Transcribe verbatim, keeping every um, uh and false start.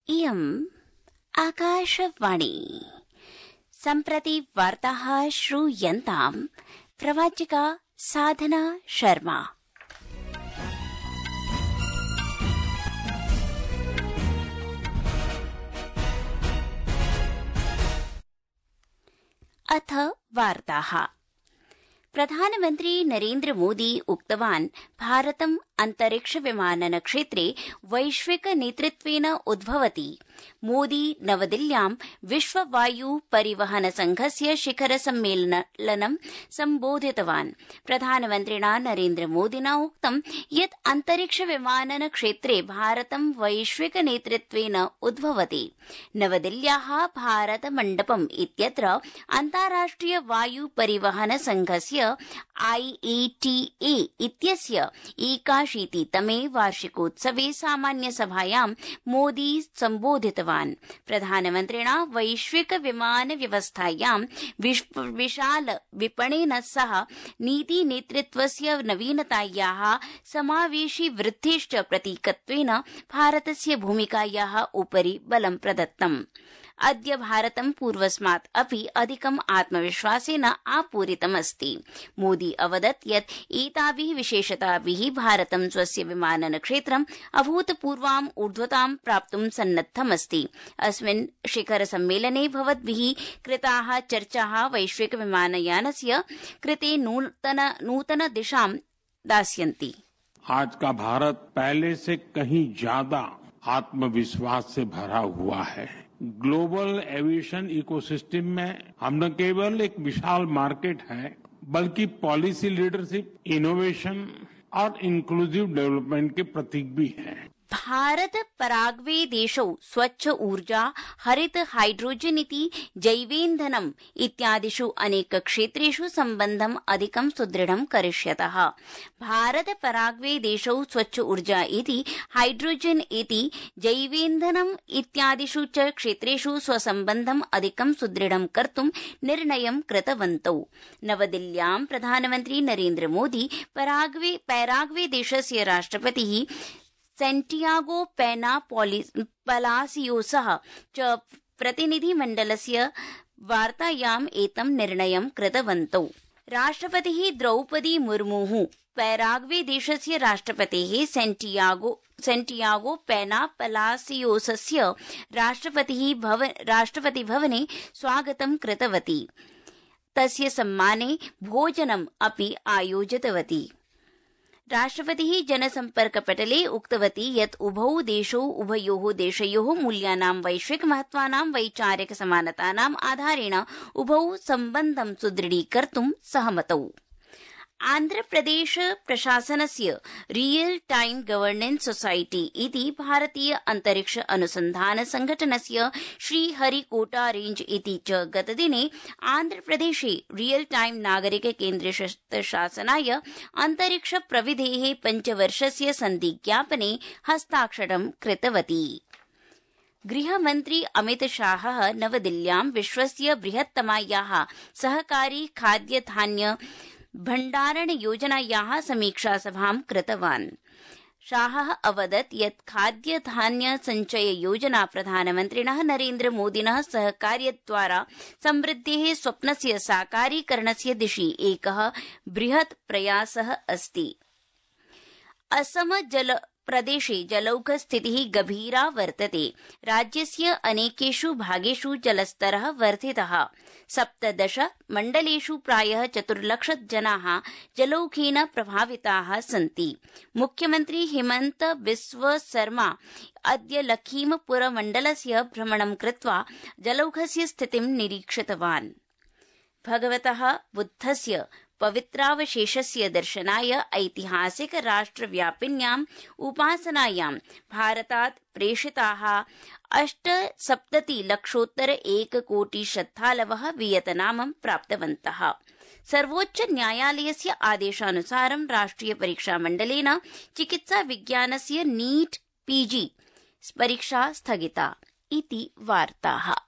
इयम् आकाशवाणी। सम्प्रति वार्ताः श्रूयन्ताम्। प्रवाचिका साधना शर्मा। अथ वार्ताः। प्रधानमन्त्री नरेन्द्र मोदी उक्तवान् भारतम् अन्तरिक्ष विमानन क्षेत्रे वैश्विक नेतृत्वेन उद्भवति। मोदी नवदिल्ल्यां विश्व वायु परिवहन संघस्य शिखर सम्मेलनं सम्बोधितवान्। प्रधानमन्त्रिणा नरेन्द्र मोदिना उक्तं यत् अन्तरिक्ष विमानन क्षेत्रे भारतं वैश्विक नेतृत्वेन उद्भवति। नवदिल्ल्याः भारत मण्डपम् इत्यत्र अन्ताराष्ट्रिय वायु परिवहन संघस्य आई ए टी ए इत्यस्य एकाशीतितमे वार्षिकोत्सवे सामान्य सभायां मोदी सम्बोधितवान्। प्रधानमन्त्रिणा वैश्विक विमान व्यवस्थायां विशाल विपणेन सह नीति नेतृत्वस्य नवीनतायाः समावेशी वृद्धिश्च प्रतीकत्वेन भारतस्य भूमिकायाः उपरि बलं प्रदत्तम्। अद्य भारतं पूर्वस्मात् अपि अधिकम् आत्मविश्वासेन आपूरितमस्ति। मोदी अवदत् यत् एताभिः विशेषताभिः भारतं स्वस्य विमानन क्षेत्रम् अभूतपूर्वाम् ऊर्ध्वतां प्राप्तुं सन्नद्धमस्ति। अस्मिन् शिखर सम्मेलने भवद्भिः कृताः चर्चाः वैश्विक विमानयानस्य कृते नूतन नूतन दिशां दास्यन्ति। आज का भारत पहले से कहीं ज्यादा आत्मविश्वास से भरा हुआ है। ग्लोबल एविएशन इकोसिस्टम में हम न केवल एक विशाल मार्केट है, बल्कि पॉलिसी लीडरशिप, इनोवेशन और इंक्लूसिव डेवलपमेंट के प्रतीक भी है। भारत पराग्वे देशौ स्वच्छ ऊर्जा, हरित हाइड्रोजन इति जैवेन्धनम् इत्यादिषु अनेक क्षेत्रेषु सम्बन्धम् अधिकं सुदृढं करिष्यतः। भारत पराग्वे देशौ स्वच्छ ऊर्जा इति हाइड्रोजन इति जैवेन्धनम् इत्यादिषु च क्षेत्रेषु स्वसम्बन्धम् अधिकं सुदृढं कर्तुं निर्णयं कृतवन्तौ। नवदिल्ल्यां प्रधानमन्त्री नरेन्द्र मोदी पराग्वे पैराग्वे देशस्य राष्ट्रपतिः सेंटियागो पेना पलासियोसः च प्रतिनिधिमण्डलस्य वार्तायाम् एतं निर्णयं कृतवन्तौ। राष्ट्रपतिः द्रौपदी मुर्मुः पैराग्वे देशस्य राष्ट्रपतेः सेंटियागो सेंटियागो पेना पलासियोसस्य राष्ट्रपतिः भवन राष्ट्रपतिभवने स्वागतं कृतवती। तस्य सम्माने भोजनम् अपि आयोजितवती। राष्ट्रपतिः जनसम्पर्कपटले उक्तवती यत् उभौ देशौ उभयोः देशयोः मूल्यानां वैश्विक महत्वानां वैचारिक समानतानाम् आधारेण उभौ सम्बन्धं सुदृढीकर्तुं सहमतौ। आन्ध्रप्रदेश प्रशासनस्य रियल टाइम गवर्नेंस सोसाइटी इति भारतीय अंतरिक्ष अनुसंधान संघटनस्य श्रीहरिकोटा रेंज इति च गतदिने आन्ध्रप्रदेशे रियल टाइम नागरिक केन्द्र शासनाय अंतरिक्ष प्रविधेः पञ्चवर्षस्य सन्धिज्ञापने हस्ताक्षरं कृतवती। गृहमन्त्री अमित शाहः नवदिल्ल्यां विश्वस्य बृहत्तमायाः सहकारी खाद्यधान्य भण्डारण योजनायाः समीक्षा सभां कृतवान्। शाहः अवदत् यत् खाद्यधान्य संचय योजना प्रधानमन्त्रिणः नरेन्द्र मोदिनः सहकार्यद्वारा समृद्धेः स्वप्नस्य साकारीकरणस्य दिशि एकः बृहत् प्रयासः अस्ति। असम जल प्रदेशे जलौघ स्थितिः गभीरा वर्तते। राज्यस्य अनेकेषु भागेषु जलस्तरः वर्धितः। सप्तदश मण्डलेषु प्रायः चतुर्लक्ष जनाः जलौघेन प्रभाविताः सन्ति। मुख्यमन्त्री हिमन्त बिस्व शर्मा अद्य लखीमपुर मण्डलस्य भ्रमणं कृत्वा जलौघस्य स्थितिं निरीक्षितवान्। भगवतः बुद्धस्य पवित्रावशेषस्य दर्शनाय ऐतिहासिक राष्ट्रव्यापिन्याम् उपासनायां भारतात् प्रेषिताः अष्टसप्तति लक्षोत्तर एककोटि श्रद्धालवः वियतनामं प्राप्तवन्तः। सर्वोच्च न्यायालयस्य आदेशानुसारं राष्ट्रिय परीक्षा मण्डलेन चिकित्सा विज्ञानस्य नीट पीजी परीक्षा स्थगिता इति वार्ताः।